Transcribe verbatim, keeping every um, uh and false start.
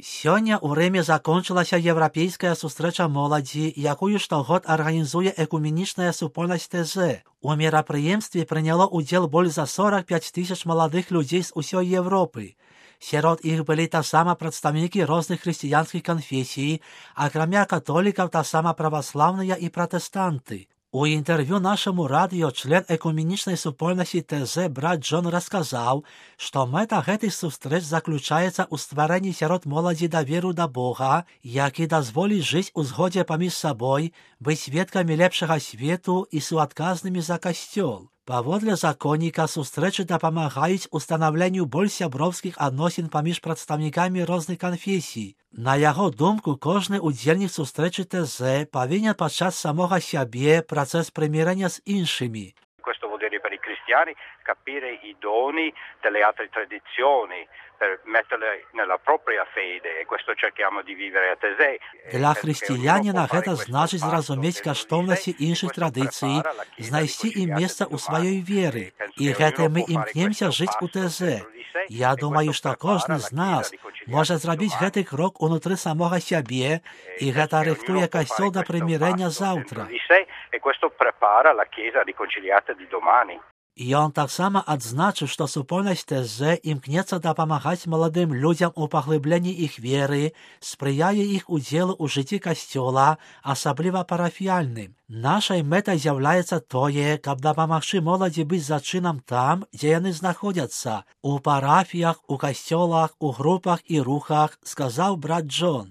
Сёння ў Рыме закончылася еўрапейская сустрэча моладзі, якую штогод арганізуе экуменічная супольнасць ТЗ. У мерапрыемстве прыняло ўдзел больш за сорок пяць тысяч маладых людзей з усёй Еўропы. Сярод іх былі таксама прадстаўнікі розных хрысціянскіх канфесій, акрамя католікаў таксама праваслаўныя і пратэстанты. У інтэрв'ю нашаму радыё член экуменічнай супольнасці ТЗ брат Джон расказаў, што мэта гэтых сустрэч заключаецца ў стварэнні сярод моладзі даверу да Бога, які дазволіць жыць у згодзе паміж сабой, быць сведкамі лепшага свету і суадказнымі за касцёл. Паводле законніка сустрэчы дапамагаюць устанаўленню больш сяброўскіх адносін паміж прадстаўнікамі розных канфесій. На яго думку, кожны удзельнік сустрэчы ТЗ павінен пачаць самога сябе працэс прымірэння з іншымі. Questo vuol dire per i cristiani capire i doni delle altre tradizioni per metterle nella propria fede e questo cerchiamo di vivere a Tesei. Для хрысціяніна гэта значыць зразумець каштоўнасці іншых традыцый, знайсці ім месца ў сваёй веры. І гэта мы імкнемся жыць у ТЗ. Я думаю, што кожны з нас можа зрабіць гэты крок унутры самога сябе, і гэта рыхтуе касцёл да прымірэння заўтра. E questo prepara la Chiesa riconciliata di domani. Ён таксама адзначыў, што супольнасць ТЗ імкнецца дапамагаць маладым людзям у паглыбленні іх веры, спрыяе іх удзелу ў жыцці касцёла, асабліва парафіяльным. Нашай мэтай з'яўляецца тое, каб дапамагчы моладзі быць зачынам там, дзе яны знаходзяцца, у парафіях, у касцёлах, у групах і рухах, сказаў брат Джон.